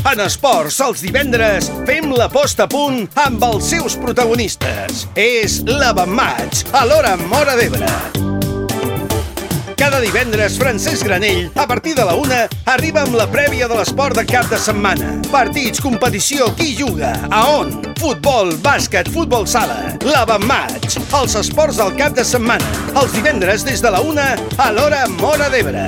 En esports, els divendres, fem la posta a punt amb els seus protagonistes. És l'Avantmatch, a l'hora Móra d'Ebre. Cada divendres, Francesc Granell, a partir de la 1, arriba amb la prèvia de l'esport de cap de setmana. Partits, competició, qui juga, a on? Futbol, bàsquet, futbol sala. L'Avantmatch, els esports del cap de setmana. Els divendres des de la 1, a l'hora Móra d'Ebre.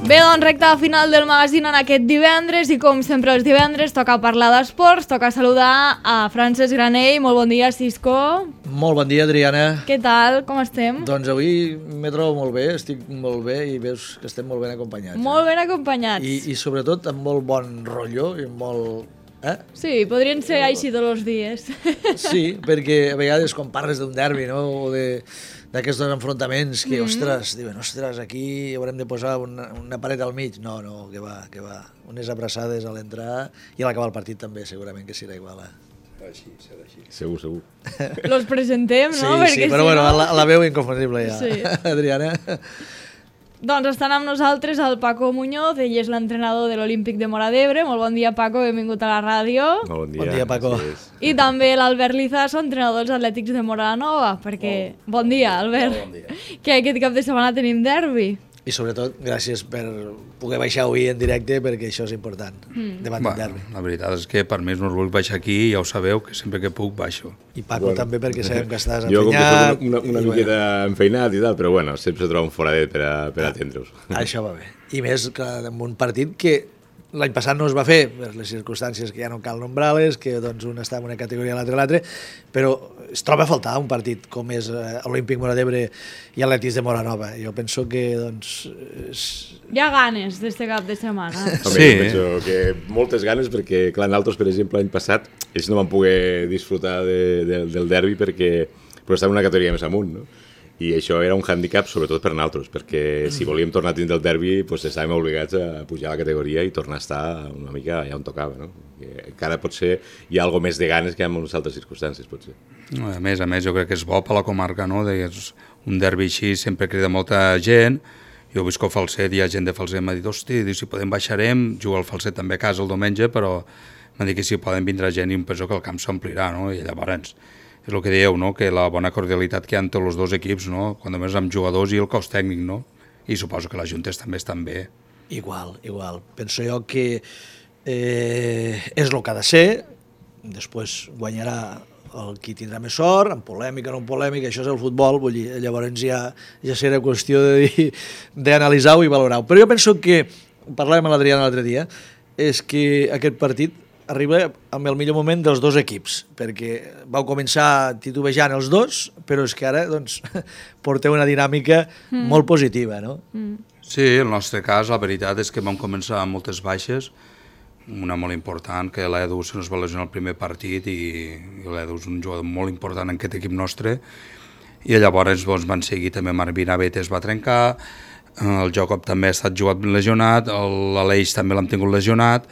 Bé, doncs recta final del magazín en aquest divendres i com sempre els divendres toca parlar d'esports, toca saludar a Francesc Granell. Molt bon dia, Cisco. Molt bon dia, Adriana. Què tal? Com estem? Doncs avui me trobo molt bé, estic molt bé i veus que estem molt ben acompanyats. Molt ben acompanyats. I sobretot amb molt bon rotllo i molt... Sí, podrien ser així tots els dies. Sí, perquè a vegades quan parles d'un derbi, no?, o d'aquests enfrontaments que, ostres, diuen, aquí haurem de posar una paret al mig. No, que va. Unes abraçades a l'entrar i a l'acabar el partit també, segurament que serà igual. Així, serà així. Segur. Los presentem, no? Sí, però bueno, la veu inconfundible ja. Sí. Adriana... Doncs estan amb nosaltres el Paco Muñoz, ell és l'entrenador de l'Olímpic de Móra d'Ebre. Molt bon dia, Paco, benvingut a la ràdio. Bon dia, Paco. I també l'Albert Lizaso, entrenador dels Atlètics de Móra la Nova, perquè... Bon dia, Albert. Bon dia. Que aquest cap de setmana tenim derbi. I sobretot, gràcies per poder baixar avui en directe, perquè això és important, davant del derbi. La veritat és que per mi és un orgull baixar aquí, ja ho sabeu, que sempre que puc baixo. I Paco també, perquè sabem que estàs jo enfeinat. Jo com que soc una miqueta enfeinat i tal, però bueno, sempre se troba un foradet per atendre-us. Això va bé. I més que en un partit que l'any passat no es va fer, per les circumstàncies que ja no cal nombrar-les, que doncs un està en una categoria i l'altre, però es troba a faltar un partit com és Olímpic Móra d'Ebre i Atlètics de Móra Nova. Jo penso que doncs... Hi ha ganes d'este cap de setmana. Sí. Jo penso que moltes ganes, perquè clar, nosaltres, per exemple, l'any passat, ells no van poder disfrutar del derbi perquè estaven una categoria més amunt, no? I això era un hàndicap sobretot per nosaltres, perquè si volíem tornar a tindre el derbi estàvem obligats a pujar a la categoria i tornar a estar una mica allà on tocava, no? Encara potser hi ha alguna més de ganes que en unes altres circumstàncies, potser. A més, jo crec que és bo per la comarca, no? Un derbi així sempre crida molta gent. Jo visc al Falset, hi ha gent de Falset m'ha dit, hosti, si podem baixarem, jugo al Falset també a casa el diumenge, però m'ha dit que si poden vindre gent i penso que el camp s'omplirà, no? I llavors... És el que dieu, no?, que la bona cordialitat que hi ha entre els dos equips, no?, quan només amb jugadors i el cos tècnic, no? I suposo que les juntes també estan bé. Igual. Penso jo que és el que ha de ser, després guanyarà el qui tindrà més sort, en polèmica o no en polèmica, això és el futbol, vull dir, llavors ja serà qüestió d'analitzar-ho i valorar-ho. Però jo penso que, parlàvem amb l'Adriana l'altre dia, és que aquest partit arriba amb el millor moment dels dos equips, perquè vau començar titubejant els dos, però és que ara doncs, porteu una dinàmica molt positiva, no? Sí, el nostre cas, la veritat és que vam començar amb moltes baixes, una molt important, que l'Edu se nos va lesionar el primer partit i l'Edu és un jugador molt important en aquest equip nostre, i llavors van seguir també Marvin Abet es va trencar, el Jacob també ha estat jugat lesionat, l'Aleix també l'hem tingut lesionat,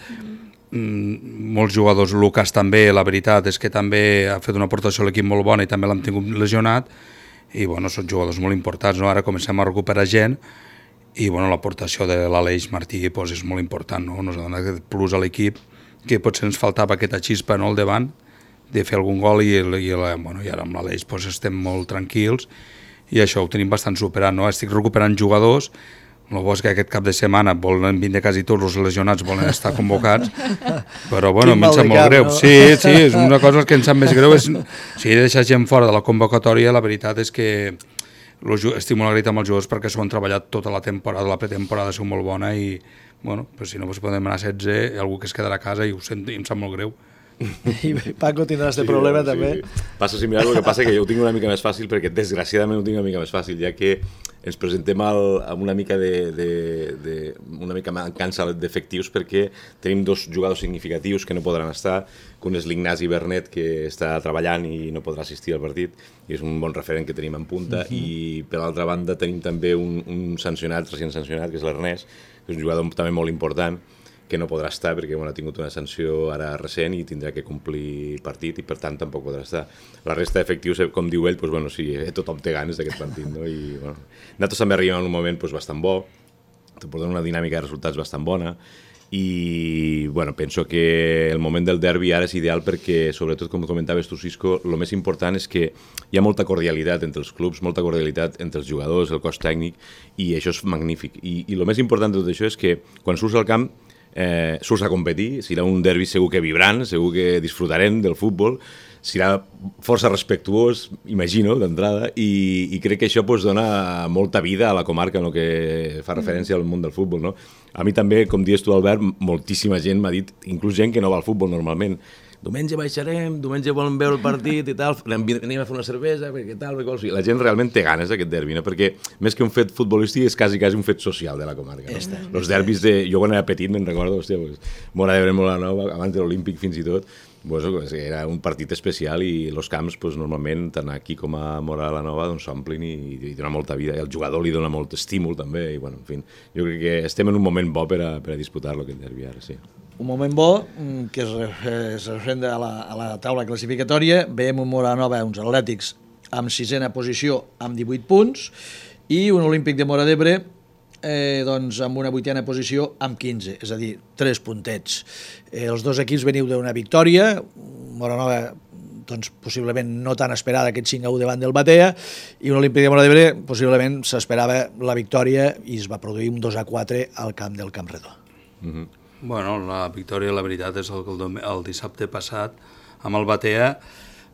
molts jugadors, Lucas també, la veritat és que també ha fet una aportació a l'equip molt bona i també l'hem tingut lesionat i bueno, són jugadors molt importants, no? Ara comencem a recuperar gent i bueno, l'aportació de l'Aleix Martí pues, és molt important, no? Nos ha donat aquest plus a l'equip que potser ens faltava aquesta xispa, no?, al davant de fer algun gol i ara amb l'Aleix pues, estem molt tranquils i això ho tenim bastant superat, no? Estic recuperant jugadors. El bo és que aquest cap de setmana volen vindre quasi tots els lesionats, volen estar convocats, però bueno, em sap molt greu. No? Sí, és una cosa que em sap més greu. Si he de deixar gent fora de la convocatòria, la veritat és que estic molt agraït amb els jugadors perquè s'ho han treballat tota la temporada, la pretemporada ha sigut molt bona i bueno, però si no podem anar a 16, algú que es quedarà a casa i ho sento, i em sap molt greu. I Paco tindràs este problema també. Passa similar, el que passa que jo ho tinc una mica més fàcil perquè desgraciadament ho tinc una mica més fàcil, ja que ens presentem amb una mica una mica mancança d'efectius perquè tenim 2 jugadors significatius que no podran estar, que un és l'Ignasi Bernet, que està treballant i no podrà assistir al partit, i és un bon referent que tenim en punta, i per l'altra banda tenim també un sancionat, recient sancionat, que és l'Ernest, que és un jugador també molt important, que no podrà estar perquè ha tingut una sanció ara recent i tindrà que complir partit i per tant tampoc podrà estar. La resta d'efectius, com diu ell, sí, tothom té ganes d'aquest partit. No? I, nosaltres també arribem en un moment bastant bo, portem una dinàmica de resultats bastant bona i penso que el moment del derbi ara és ideal perquè, sobretot com comentaves tu, Cisco, el més important és que hi ha molta cordialitat entre els clubs, molta cordialitat entre els jugadors, el cos tècnic, i això és magnífic. I el més important de tot això és que quan surts al camp surts a competir, serà un derbi segur que vibrant, segur que disfrutarem del futbol, serà força respectuós, imagino, d'entrada, i crec que això dona molta vida a la comarca en el que fa referència al món del futbol. No? A mi també, com dius tu, Albert, moltíssima gent m'ha dit, inclús gent que no va al futbol normalment, diumenge baixarem, diumenge volem veure el partit i tal, anem a fer una cervesa, perquè tal, perquè... La gent realment té ganes d'aquest derbi, no? Perquè més que un fet futbolístic és quasi un fet social de la comarca. No? Els derbis jo quan era petit me'n recordo, Móra d'Ebre, Móra Nova, abans de l'Olímpic fins i tot, era un partit especial i els camps normalment, tant aquí com a Móra la Nova, s'omplin i dona molta vida, i al jugador li dona molt estímul també, i en fi, jo crec que estem en un moment bo per a disputar-lo aquest derbi ara, sí. Un moment bo que es referenda a la taula classificatòria. Veiem un Móra Nova, uns Atlètics amb 6a posició amb 18 punts i un Olímpic de Móra d'Ebre amb una 8a posició amb 15, és a dir, 3 puntets. Els 2 equips veniu d'una victòria, Móra Nova possiblement no tan esperada, aquest 5-1 davant del Batea, i un Olímpic de Móra d'Ebre possiblement s'esperava la victòria i es va produir un 2-4 al camp del Camp Redó. La victòria, la veritat, és el dissabte passat amb el Batea.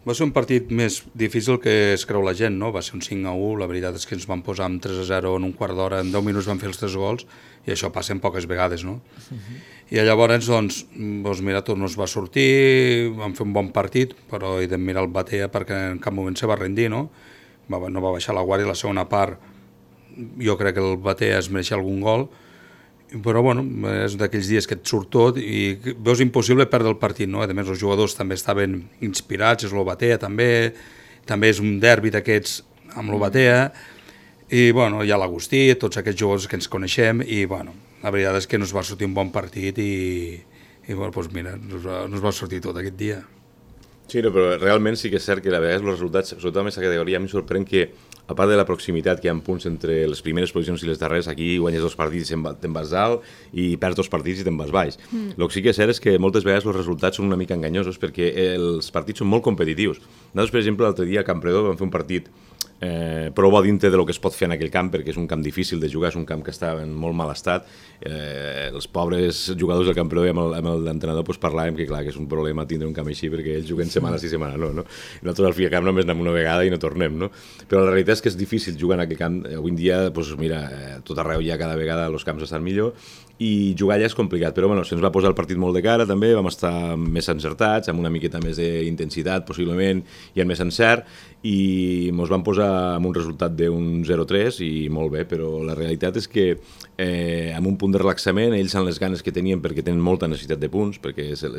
Va ser un partit més difícil que es creu la gent, no? Va ser un 5-1, la veritat és que ens van posar amb 3-0 en un quart d'hora, en 10 minuts van fer els 3 gols, i això passa en poques vegades, no? I llavors, mira, tot no es va sortir, vam fer un bon partit, però he de mirar el Batea perquè en cap moment se va rendir, no? No va baixar la guàrdia, la segona part jo crec que el Batea es mereixia algun gol, però és d'aquells dies que et surt tot i veus impossible perdre el partit, no? A més, els jugadors també estaven inspirats, és el Batea també és un derbi d'aquests amb el Batea, i hi ha l'Agustí, tots aquests jugadors que ens coneixem, i la veritat és que no es va sortir un bon partit i mira, no es va sortir tot aquest dia. Sí, però realment sí que és cert que a vegades els resultats, sobretot en aquesta categoria, a mi em sorprèn que a part de la proximitat que hi ha punts entre les primeres posicions i les darreres, aquí guanyes 2 partits i te'n vas dalt i perds 2 partits i te'n vas baix. El que sí que és cert és que moltes vegades els resultats són una mica enganyosos perquè els partits són molt competitius. Nosaltres, per exemple, l'altre dia a Campredó vam fer un partit prou bo dintre del que es pot fer en aquell camp, perquè és un camp difícil de jugar, és un camp que està en molt mal estat. Els pobres jugadors del Campredó i amb l'entrenador parlàvem que, clar, que és un problema tindre un camp així perquè ells juguen setmana sí, setmana no. Nosaltres al fi al camp només anem una vegada i no tornem, no? Però la realitat és que és difícil jugar en aquell camp. Avui en dia, mira, tot arreu ja cada vegada els camps estan millor i jugar allà és complicat, però se'ns va posar el partit molt de cara també, vam estar més encertats, amb una miqueta més d'intensitat possiblement i amb més encert, i ens van posar amb un resultat d'un 0-3 i molt bé, però la realitat és que amb un punt de relaxament, ells amb les ganes que tenien perquè tenen molta necessitat de punts, perquè és el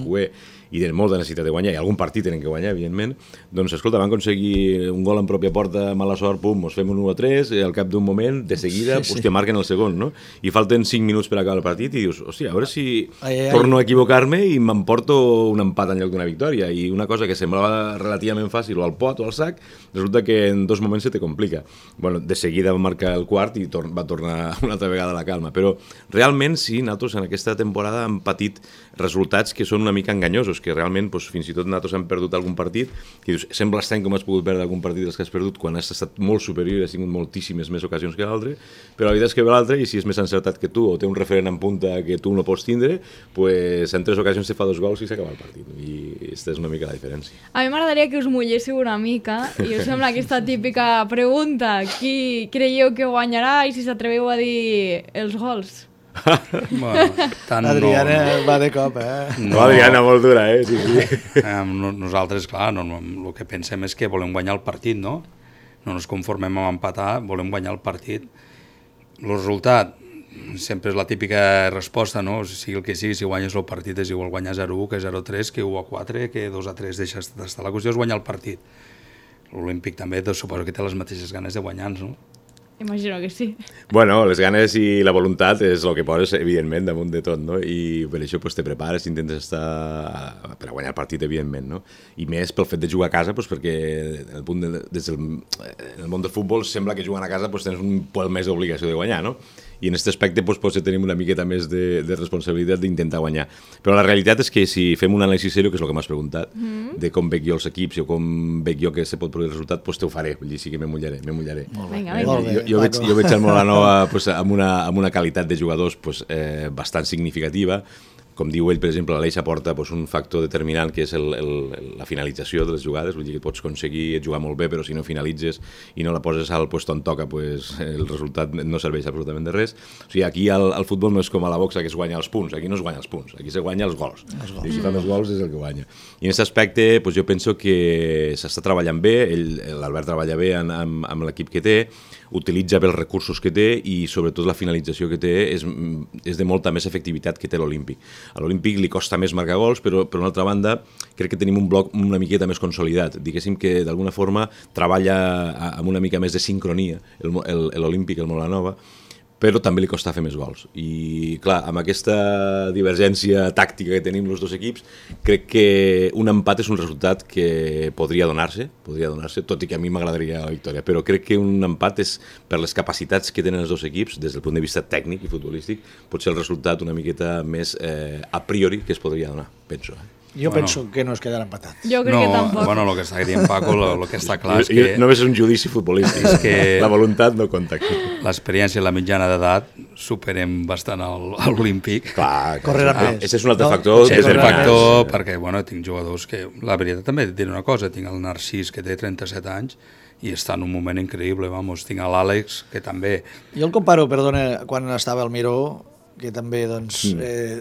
QE i tenen molta necessitat de guanyar, i algun partit tenen que guanyar, evidentment, doncs escolta, van aconseguir un gol en pròpia porta, mala sort, pum, ens fem un 1-3, i al cap d'un moment, de seguida, hòstia, marquen el segon, no? I falten 5 minuts per acabar el partit i dius, hòstia, a veure si torno a equivocar-me i m'emporto un empat en lloc d'una victòria, i una cosa que semblava relativament fàcil o al pot o al sac, resulta que en 2 moments se te complica. De seguida va marcar el quart i va tornar una altra vegada a la calma, però realment sí, nosaltres en aquesta temporada hem patit resultats que són una mica enganyosos, que realment fins i tot nosaltres hem perdut algun partit, que dius, sembla estrany com has pogut perdre algun partit dels que has perdut quan has estat molt superior i has tingut moltíssimes més ocasions que l'altre, però la veritat és que ve l'altre i si és més encertat que tu o té un referent en punta que tu no pots tindre, pues en 3 ocasions te fa 2 gols i s'acaba el partit, i aquesta és una mica la diferència. A mi m'agradaria que us mulléssiu una mica i us sembla aquesta típica pregunta, qui creieu que guanyarà i si s'atreveu a dir els gols? Adriana va de cop, No, Adriana, molt dura, sí. Nosaltres, clar, el que pensem és que volem guanyar el partit, no? no ens conformem amb empatar, volem guanyar el partit. El resultat sempre és la típica resposta, no? Sigui el que sigui, si guanyes el partit és igual guanyar 0-1 que 0-3, que 1-4, que 2-3 deixes d'estar. La qüestió és guanyar el partit. L'Olímpic també suposo que té les mateixes ganes de guanyar-nos, no? Imagino que sí. Bueno, les ganes i la voluntat és el que poses, evidentment, damunt de tot, no? I per això te prepares, intentes estar per a guanyar el partit, evidentment, no? I més pel fet de jugar a casa, perquè des del món del futbol sembla que jugant a casa tens un poc més d'obligació de guanyar, no? I en aquest aspecte potser tenim una miqueta més de responsabilitat d'intentar guanyar. Però la realitat és que si fem un anàlisi seriós, que és el que m'has preguntat, de com veig jo els equips o com veig jo que se pot produir el resultat, te ho faré, vull dir, sí que me mullaré. Vinga. Jo veig el Molanova amb una qualitat de jugadors bastant significativa. Com diu ell, per exemple, l'Aleix aporta un factor determinant que és la finalització de les jugades, vull dir que pots aconseguir jugar molt bé, però si no finalitzes i no la poses al lloc on toca, el resultat no serveix absolutament de res. O sigui, aquí al futbol no és com a la boxa que es guanya els punts, aquí no es guanya els punts, aquí se guanya els gols. I si fa més gols és el que guanya. I en aquest aspecte jo penso que s'està treballant bé, l'Albert treballa bé amb l'equip que té, utilitza bé els recursos que té i sobretot la finalització que té és de molta més efectivitat que té l'Olímpic. A l'Olímpic li costa més marcar gols, però per una altra banda crec que tenim un bloc una miqueta més consolidat. Diguéssim que d'alguna forma treballa amb una mica més de sincronia l'Olímpic, el Molanova, però també li costa fer més gols. I clar, amb aquesta divergència tàctica que tenim els dos equips, crec que un empat és un resultat que podria donar-se, tot i que a mi m'agradaria la victòria, però crec que un empat és, per les capacitats que tenen els dos equips, des del punt de vista tècnic i futbolístic, pot ser el resultat una miqueta més a priori que es podria donar, penso. Jo penso que no es quedarà empatat. Jo crec que tampoc. Bueno, el que està dient Paco, el que està clar és que... Només és un judici futbolístic, és que la voluntat no compta aquí. L'experiència i la mitjana d'edat superem bastant l'Olímpic. Clar, correran més. Aquest és un altre factor. És un factor perquè, bueno, tinc jugadors que... La veritat també et diré una cosa, tinc el Narcís que té 37 anys i està en un moment increïble, vamos. Tinc l'Àlex que també... Jo el comparo, perdona, quan estava al Miró, que també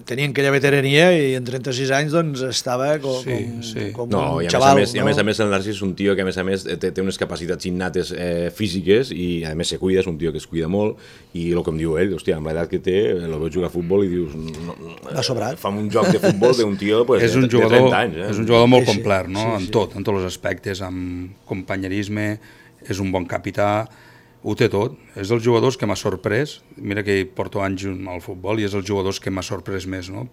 tenien aquella veterania i en 36 anys estava com un xaval. I a més el Narcís és un tio que a més té unes capacitats innates físiques i a més se cuida, és un tio que es cuida molt i el que em diu ell, hòstia, amb l'edat que té, el veus jugar a futbol i dius... Ha sobrat. Fa un joc de futbol d'un tio de 30 anys. És un jugador molt complet, no? En tots els aspectes, amb companyerisme, és un bon capità, ho té tot, és dels jugadors que m'ha sorprès, mira que porto anys al futbol i és els jugadors que m'ha sorprès més, no?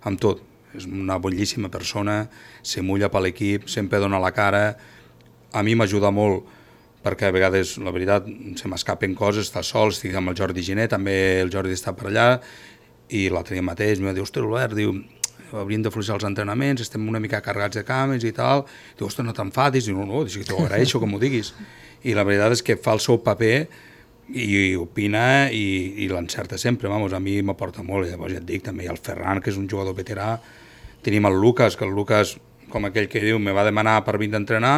Amb tot, és una boníssima persona, se mulla per l'equip, sempre dona la cara, a mi m'ajuda molt perquè a vegades, la veritat, se m'escapen coses, està sol, estic amb el Jordi Giné, també el Jordi està per allà, i l'altre dia mateix em diu, ostres, Albert, diu, hauríem de fluixar els entrenaments, estem una mica carregats de cames i tal, diu, ostres, no t'enfadis, diu, no, t'ho agraeixo que m'ho diguis. I la veritat és que fa el seu paper i opina i l'encerta sempre, vamos, a mi m'aporta molt, i llavors ja et dic, també hi ha el Ferran, que és un jugador veterà, tenim el Lucas, que el Lucas, com aquell que diu, me va demanar per vir d'entrenar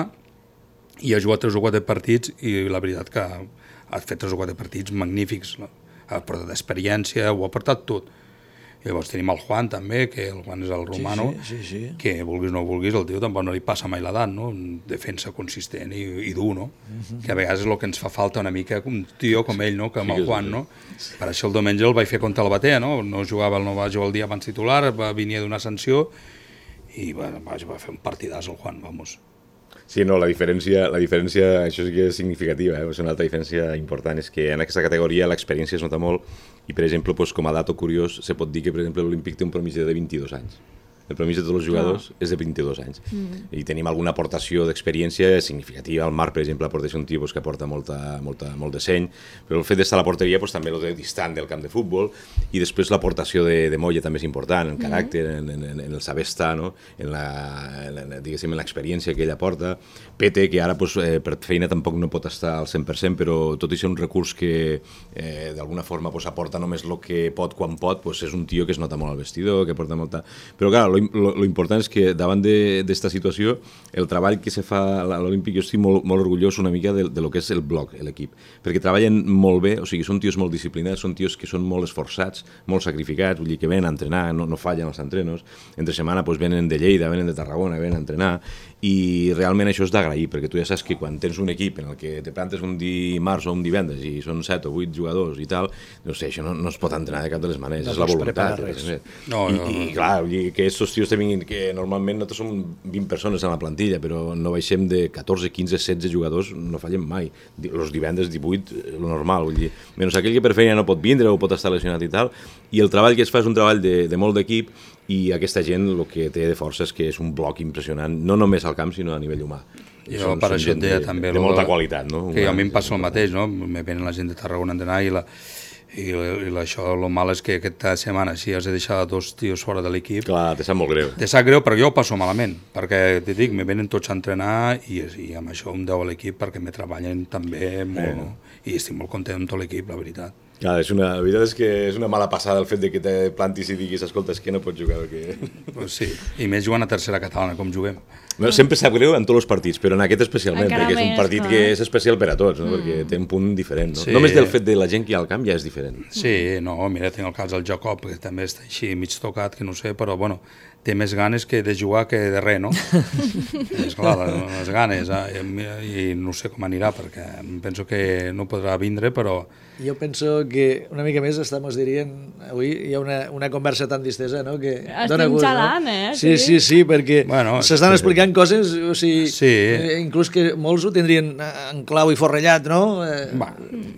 i ha jugat 3 o 4 partits i la veritat que ha fet 3 o 4 partits magnífics, ha portat experiència, ho ha portat tot. I llavors tenim el Juan també, que el Juan és el romano, sí. que vulguis o no vulguis, el tio tampoc no li passa mai l'edat, no? Defensa consistent i dur, no? Que a vegades és el que ens fa falta una mica, un tio com ell, no? Com el Juan, no? Per això el diumenge el vaig fer contra el Batea, no? No va jugar el dia abans titular, venia d'una sanció i va fer un partidàs el Juan, vamos. Sí, no, la diferència, això sí que és significativa, és una altra diferència important, és que en aquesta categoria l'experiència es nota molt i, per exemple, com a dato curiós, se pot dir que, per exemple, l'Olímpic té un promís de 22 anys. El promís de tots els jugadors és de 22 anys. I tenim alguna aportació d'experiència significativa. El Marc, per exemple, aporta un tio que aporta molt de seny, però el fet d'estar a la porteria també el distant del camp de futbol, i després l'aportació de Moya també és important, en caràcter, en el saber estar, no? en l'experiència que ell aporta. Pete, que ara per feina tampoc no pot estar al 100%, però tot i ser un recurs que d'alguna forma aporta només el que pot quan pot, és un tio que es nota molt al vestidor, que aporta molta... Però clar, lo important és que davant d'esta situació, el treball que se fa a l'Olímpic, jo estic molt orgullós una mica de lo que és el bloc, l'equip, perquè treballen molt bé, o sigui, són tios molt disciplinats, són tios que són molt esforçats, molt sacrificats, vull dir que venen a entrenar, no fallen els entrenos, entre setmana doncs, venen de Lleida, venen de Tarragona, venen a entrenar, i realment això és d'agrair, perquè tu ja saps que quan tens un equip en el que te plantes un dimarts o un divendres i són 7 o 8 jugadors i tal, no sé, això no es pot entrenar de cap de les maneres, és la voluntat. I clar, que aquests tios que normalment nosaltres som 20 persones en la plantilla, però no baixem de 14, 15, 16 jugadors, no fallem mai. Els divendres 18, lo normal, vull dir, menys aquell que per feina no pot vindre o pot estar lesionat i tal, i el treball que es fa és un treball de molt d'equip, i aquesta gent el que té de força és que és un bloc impressionant, no només al camp, sinó a nivell humà. Jo per això et deia també... De molta qualitat, no? Que a mi em passa el mateix, no? Me venen la gent de Tarragona a entrenar i això, el mal és que aquesta setmana si has de deixar 2 tios fora de l'equip... Clar, te sap molt greu. Te sap greu, però jo ho passo malament, perquè t'hi dic, me venen tots a entrenar i amb això em deu a l'equip perquè me treballen també molt, no? I estic molt content amb tot l'equip, la veritat. Clar, la veritat és que és una mala passada el fet de que te plantis i diguis, escolta, és que no pots jugar. Pues sí, i més jugant a tercera catalana, com juguem. No, sempre sap greu en tots els partits, però en aquest especialment, perquè és un partit que és especial per a tots, no? Perquè té un punt diferent. No? Sí. Només del fet de la gent que hi ha al camp ja és diferent. Sí, no, mira, tinc el cas del Jacob, que també està així mig tocat, que no sé, però bueno, té més ganes que de jugar que de res, no? És clar, les ganes, i no sé com anirà, perquè penso que no podrà vindre, però... Jo penso que una mica més dirien, avui hi ha una conversa tan distesa, no? Que estem xalant, no? Sí, perquè s'estan explicant coses, o sigui, inclús que molts ho tindrien en clau i forrellat, no?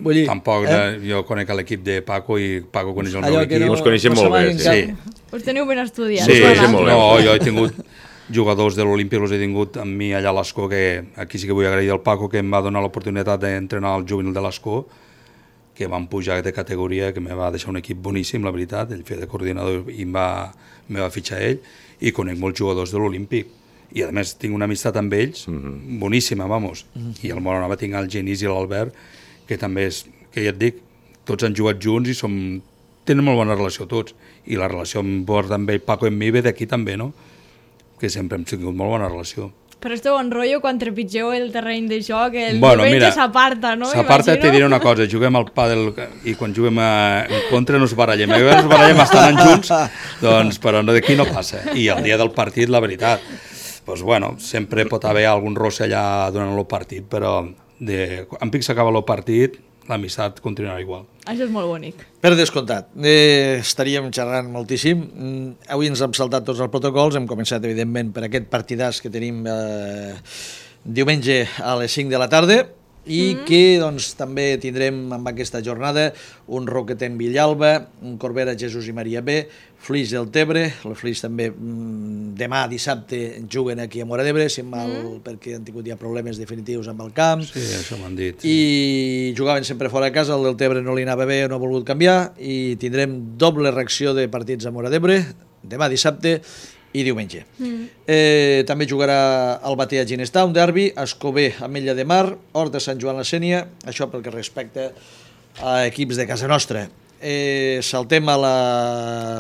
Vull dir... Tampoc, jo conec l'equip de Paco i Paco coneix el meu equip. Ens coneixem molt bé, sí. Us teniu ben estudiats. Sí, no, jo he tingut jugadors de l'Olímpic, els he tingut amb mi allà a l'Escó, que aquí sí que vull agrair al Paco, que em va donar l'oportunitat d'entrenar el juvenil de l'Escó, que van pujar de categoria, que me va deixar un equip boníssim, la veritat, ell feia de coordinador i me va fitxar ell, i conec molts jugadors de l'Olímpic. I a més tinc una amistat amb ells, boníssima, vamos. I al Moronava tinc el Genís i l'Albert, que també és, que ja et dic, tots han jugat junts i tenen molt bona relació tots. I la relació amb ell, Paco i amb mi ve d'aquí també, no? Que sempre hem tingut molt bona relació. Però esteu en rotllo quan trepitgeu el terreny de joc, el diumenge s'aparta, no? S'aparta, te diré una cosa, juguem al pàdel i quan juguem en contra no ens barallem. Ens barallem bastant junts, doncs, però d'aquí no passa. I el dia del partit, la veritat, doncs bueno, sempre pot haver algun rosse allà durant el partit, però en pic s'acaba el partit, l'amistat continuarà igual. Això és molt bonic. Per descomptat. Estaríem xerrant moltíssim. Avui ens hem saltat tots els protocols. Hem començat, evidentment, per aquest partidàs que tenim diumenge a les 5 de la tarda i que doncs, també tindrem amb aquesta jornada un Roquetent Villalba, un Corbera Jesús i Maria B, Flix del Tebre, el Flix també demà dissabte juguen aquí a Móra d'Ebre, perquè han tingut ja problemes definitius amb el camp. Sí, això m'han dit. I jugaven sempre fora de casa, el del Tebre no li anava bé, no ha volgut canviar, i tindrem doble reacció de partits a Móra d'Ebre, demà dissabte i diumenge. També jugarà el Batea Ginestar, un derbi, Escober, Ametlla de Mar, Hort de Sant Joan la Sénia, això pel que respecta a equips de casa nostra. Saltem a la...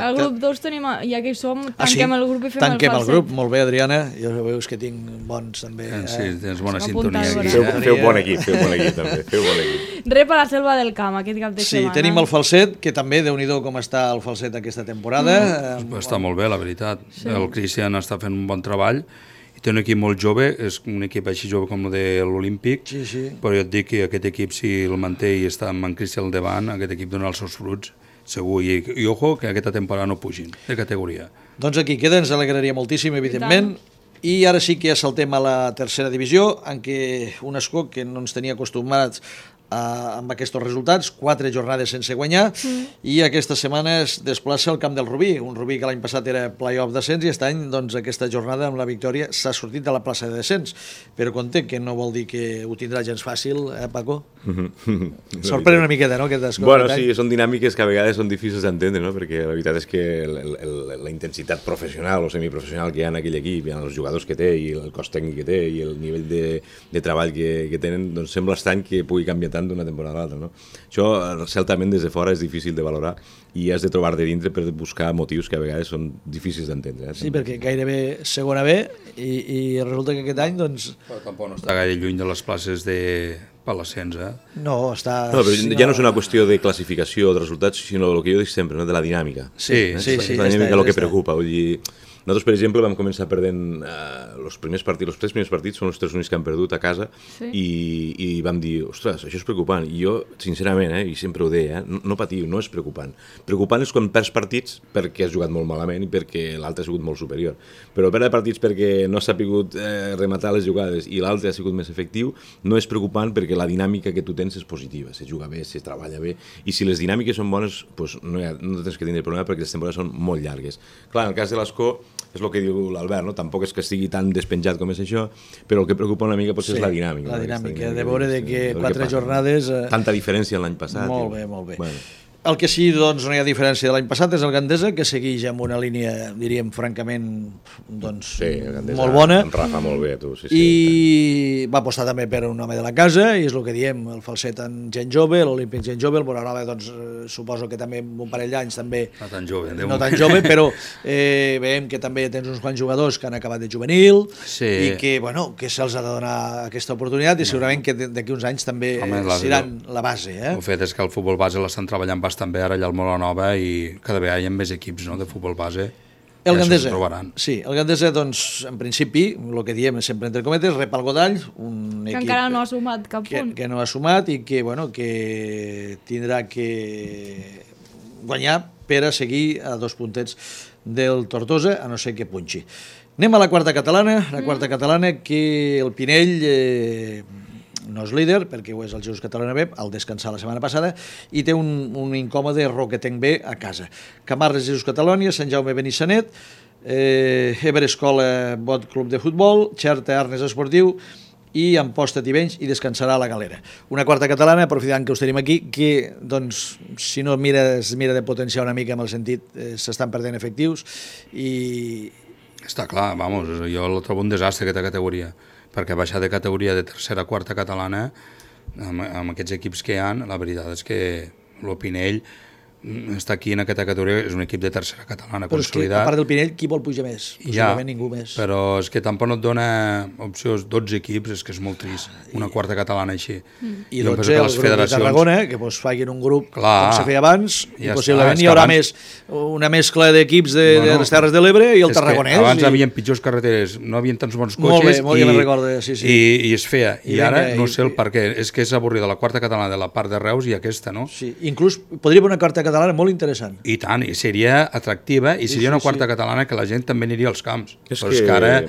El grup 2 tenim, ja que hi som, tanquem el grup i fem el falset. Tanquem el grup, molt bé, Adriana. Jo veus que tinc bons també. Sí, tens bona sintonia aquí. Feu bon equip també, feu bon equip. Rep a la Selva del Camp aquest cap de setmana. Sí, tenim el falset, que també, Déu-n'hi-do com està el falset aquesta temporada. Està molt bé, la veritat. El Cristian està fent un bon treball. Té un equip molt jove, és un equip així jove com el de l'Olímpic, però jo et dic que aquest equip, si el manté i està amb en Cristian al davant, aquest equip dona els seus fruits, segur, i ojo que aquesta temporada no pugin de categoria. Doncs aquí queda, ens alegraria moltíssim, evidentment, i ara sí que ja saltem a la tercera divisió, en què un Escó que no ens tenia acostumats amb aquests resultats, 4 jornades sense guanyar, i aquesta setmana es desplaça al camp del Rubí, un Rubí que l'any passat era play-off descens i aquest any, doncs, aquesta jornada amb la victòria s'ha sortit de la plaça de descens, però compte que no vol dir que ho tindrà gens fàcil, Paco? Sorprèn una miqueta, no? Bueno, sí, són dinàmiques que a vegades són difícils d'entendre, no? Perquè la veritat és que la intensitat professional o semiprofessional que hi ha en aquell equip, hi ha els jugadors que té i el cos tècnic que té i el nivell de treball que tenen, doncs sembla estrany que pugui canviar tant d'una temporada a l'altra, no? Això, certament, des de fora és difícil de valorar i has de trobar de dintre per buscar motius que a vegades són difícils d'entendre. Sí, perquè gairebé segona B i resulta que aquest any, doncs... Però tampoc no està gaire lluny de les places per l'ascens, No, està... No, però ja no és una qüestió de classificació o de resultats, sinó el que jo dic sempre, no? De la dinàmica. Sí. És la dinàmica el que preocupa. Vull dir, nosaltres, per exemple, vam començar perdent els 3 primers partits són els 3 únics que han perdut a casa i vam dir, ostres, això és preocupant. I jo, sincerament, i sempre ho deia, no patiu, no és preocupant. Preocupant és quan perds partits perquè has jugat molt malament i perquè l'altre ha sigut molt superior. Però perdre partits perquè no s'ha pogut rematar les jugades i l'altre ha sigut més efectiu no és preocupant perquè la dinàmica que tu tens és positiva, se juga bé, se treballa bé, i si les dinàmiques són bones, doncs no tens que tindre problema perquè les temporades són molt llargues. Clar, en el cas de l'Escó, és el que diu l'Albert, no? Tampoc és que estigui tan despenjat com és això, però el que preocupa una mica potser és la dinàmica. La dinàmica, de veure que 4 jornades... Tanta diferència l'any passat. Molt bé. Bueno. El que sí, doncs, no hi ha diferència de l'any passat és el Gandesa, que segueix amb una línia, diríem, francament, doncs, molt bona. En Rafa molt bé, tu. Sí, I va apostar també per un home de la casa, i és el que diem, el falset en gent jove, l'Olímpic gent jove, el Bonanova, doncs, suposo que també amb un parell d'anys també... No tan jove. No tan jove, però veiem que també tens uns quants jugadors que han acabat de juvenil i que, bueno, que se'ls ha de donar aquesta oportunitat i segurament que d'aquí uns anys també seran la base. El fet és que el futbol base l'estan treballant també ara allà al Molanova i cada vegada hi ha més equips de futbol base. El Gandesa, sí, el Gandesa, doncs, en principi, el que diem sempre entre cometes, rep el Godall, un equip... Que encara no ha sumat cap punt. Que no ha sumat i que, bueno, que tindrà que guanyar per a seguir a 2 puntets del Tortosa, a no ser que punxi. Anem a la quarta catalana, que el Pinell... no és líder, perquè ho és el Jesús Catalana B, al descansar la setmana passada, i té un incòmode Roquetenc B a casa. Camarles, Jesús Catalònia, Sant Jaume Benissanet, Eber Escola Bot Club de Futbol, Xerta Arnes Esportiu i Amposta Tivenys, i descansarà la Galera. Una quarta catalana, aprofitant que us tenim aquí, que, doncs, si no mira de potenciar una mica amb el sentit, s'estan perdent efectius i... Està clar, vamos, jo el trobo un desastre aquesta categoria, perquè baixar de categoria de tercera a quarta catalana amb aquests equips que hi ha, la veritat és que el Pinell està aquí en aquesta categoria, és un equip de tercera catalana però consolidat. Però és que, a part del Pinell, qui vol pujar més? Possiblement ningú més. Però és que tampoc no et dona opcions 12 equips, és que és molt trist, una quarta catalana així. I 12 el grup de Tarragona, que facin un grup com se feia abans, i possiblement hi haurà una mescla d'equips de les Terres de l'Ebre i el Tarragonès. Abans hi havia pitjors carreteres, no hi havia tants bons cotxes i es feia. I ara no sé el per què, és que és avorrida la quarta catalana de la part de Reus i aquesta, no? Sí, inclús podria haver una quarta catalana molt interessant. I tant, i seria atractiva, i seria una quarta catalana que la gent també aniria als camps. Però és que ara,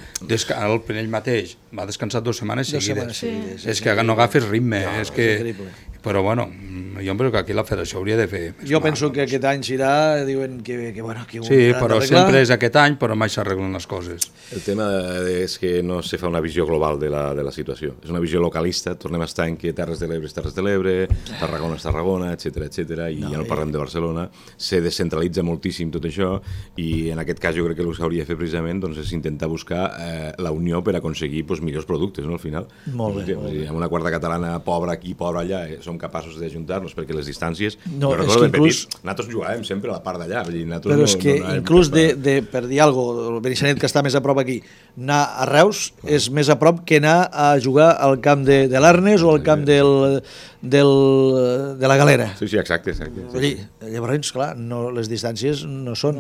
el Pinell mateix va descansar 2 setmanes seguides. És que no agafes ritme. Però bueno, jo penso que aquí la federació hauria de fer... Jo penso que aquest any s'irà, diuen que bueno... Sí, però sempre és aquest any, però mai s'arreglen les coses. El tema és que no se fa una visió global de la situació. És una visió localista, tornem a estar en que Terres de l'Ebre és Terres de l'Ebre, Tarragona és Tarragona, etcètera, i ja no parlem de Barcelona. Se descentralitza moltíssim tot això, i en aquest cas jo crec que el que s'hauria de fer precisament és intentar buscar la unió per aconseguir millors productes, al final. Molt bé. Amb una quarta catalana pobra aquí, pobra allà, som capaços d'ajuntar-nos perquè les distàncies... No, és que inclús... Nosaltres jugàvem sempre a la part d'allà. Però és que inclús per dir alguna cosa, el Benissanet, que està més a prop aquí, anar a Reus és més a prop que anar a jugar al camp de l'Arnes o al camp de la Galera. Sí, exacte. Llavors, clar, les distàncies no són...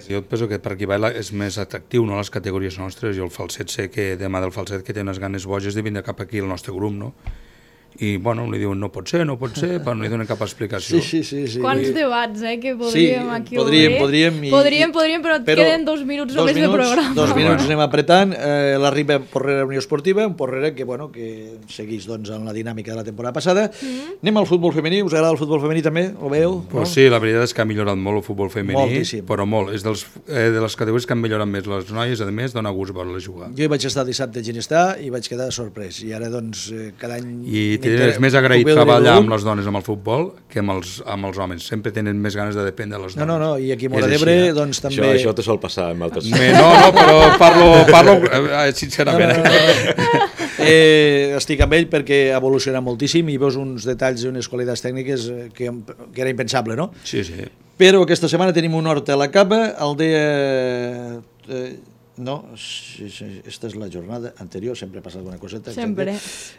Jo penso que per aquí és més atractiu, no, les categories nostres. Jo el falset sé que demà del falset que té unes ganes boges de vindre cap aquí al nostre grup, no? I, bueno, li diuen no pot ser, però no li donen cap explicació. Sí. Quants debats, que podríem aquí obrir. Podríem, però queden 2 minuts només de programa. 2 minuts anem apretant. L'arriba Porrera Unió Esportiva, un Porrera que segueix en la dinàmica de la temporada passada. Anem al futbol femení. Us agrada el futbol femení també? Ho veieu? Pues sí, la veritat és que ha millorat molt el futbol femení, però molt. És de les categories que han millorat més. Les noies, a més, dona gust veure-les jugar. Jo hi vaig estar dissabte a Ginestà i vaig quedar sorprès. I ara, cada any... És més agraït treballar amb les dones amb el futbol que amb els homes. Sempre tenen més ganes de dependre de les dones. No, i aquí a Móra d'Ebre també... Això te sol passar amb altres... No, però parlo sincerament. Estic amb ell perquè ha evolucionat moltíssim i veus uns detalls i unes qualitats tècniques que era impensable, no? Sí, sí. Però aquesta setmana tenim un hort a la capa, Aldea... No, esta és la jornada anterior, sempre ha passat alguna coseta. Sempre.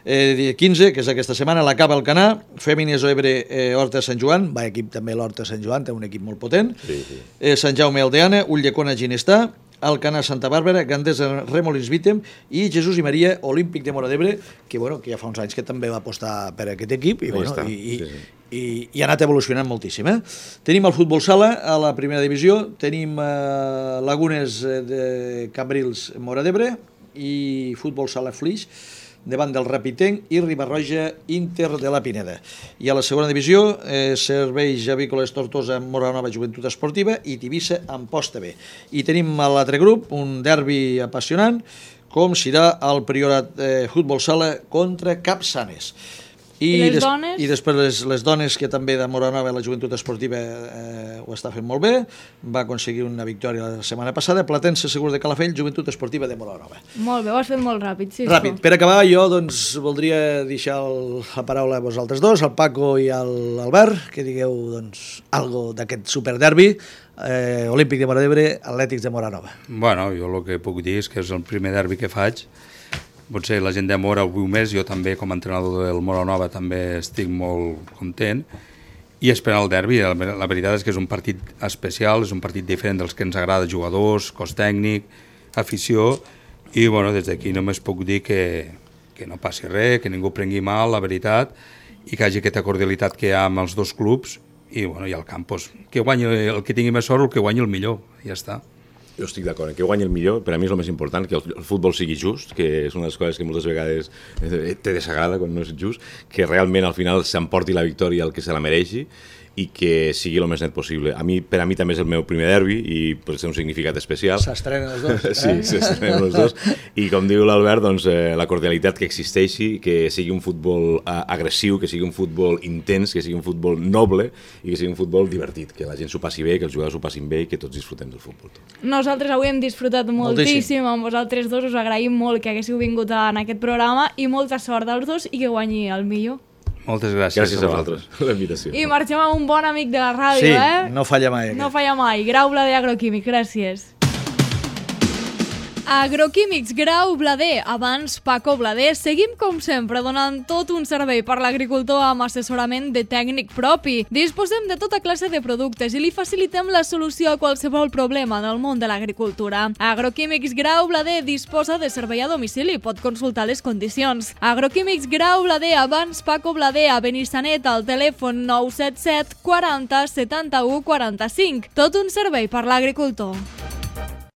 Dia 15, que és aquesta setmana, la Cava Alcanar, Fèmines Oebre, Horta Sant Joan, va equip també l'Horta Sant Joan, té un equip molt potent, Sí, sí. Sant Jaume Aldeana, Ulldecona Ginestà, Alcanar Santa Bàrbara, Gandesa Remolins Vítem i Jesús i Maria Olímpic de Móra d'Ebre, que, bueno, que ja fa uns anys que també va apostar per aquest equip i, bueno, i ha anat evolucionant moltíssim. Tenim el futbol sala a la primera divisió, tenim Lagunes de Cambrils Móra d'Ebre i futbol sala Flix davant del Rapitenc i Ribarroja Inter de la Pineda. I a la segona divisió, Serveis Avícoles Tortosa Móra Nova Joventut Esportiva i Tivissa Amposta B. I tenim a l'altre grup un derbi apassionant, com serà el Priorat Futbol Sala contra Capçanes. I les dones? I després les dones, que també de Móra Nova, la joventut esportiva ho està fent molt bé, va aconseguir una victòria la setmana passada, Platense Segur de Calafell, joventut esportiva de Móra Nova. Molt bé, ho has fet molt ràpid, sí. Ràpid. Per acabar, jo doncs, voldria deixar la paraula a vosaltres dos, al Paco i a l'Albert, que digueu doncs, algo d'aquest superderbi, Olímpic de Móra d'Ebre, Atlètics de Móra Nova. Bueno, jo el que puc dir és que és el primer derbi que faig. Potser la gent de Móra ho viu més, jo també com a entrenador del Móra Nova també estic molt content i esperant el derbi. La veritat és que és un partit especial, és un partit diferent dels que ens agrada, jugadors, cos tècnic, afició, i bueno, des d'aquí només puc dir que no passi res, que ningú prengui mal, la veritat, i que hi hagi aquesta cordialitat que hi ha amb els dos clubs i, bueno, i al camp, doncs, que guanyi el que tingui més sort o el que guanyi el millor, ja està. Jo estic d'acord, que guanyi el millor, per a mi és el més important, que el futbol sigui just, que és una de les coses que moltes vegades te desagrada quan no és just, que realment al final s'emporti la victòria al que se la mereixi i que sigui el més net possible. Per a mi també és el meu primer derbi i pot ser un significat especial. S'estrenen els dos. Sí, s'estrenen els dos. I com diu l'Albert, doncs, la cordialitat que existeixi, que sigui un futbol agressiu, que sigui un futbol intens, que sigui un futbol noble i que sigui un futbol divertit, que la gent s'ho passi bé, que els jugadors s'ho passin bé i que tots disfrutem del futbol. Nosaltres avui hem disfrutat moltíssim amb vosaltres dos, us agraïm molt que haguéssiu vingut en aquest programa i molta sort als dos i que guanyi el millor. Moltes gràcies. Gràcies a vosaltres, la invitació. I marxem amb un bon amic de la ràdio, Sí, no falla mai. No falla mai. Grau Blader Agroquímic, gràcies. Agroquímics Grau Blader, abans Paco Blader, seguim com sempre donant tot un servei per l'agricultor amb assessorament de tècnic propi. Disposem de tota classe de productes i li facilitem la solució a qualsevol problema del món de l'agricultura. Agroquímics Grau Blader disposa de servei a domicili, pot consultar les condicions. Agroquímics Grau Blader, abans Paco Blader, a Benissanet, al telèfon 977 40 71 45. Tot un servei per l'agricultor.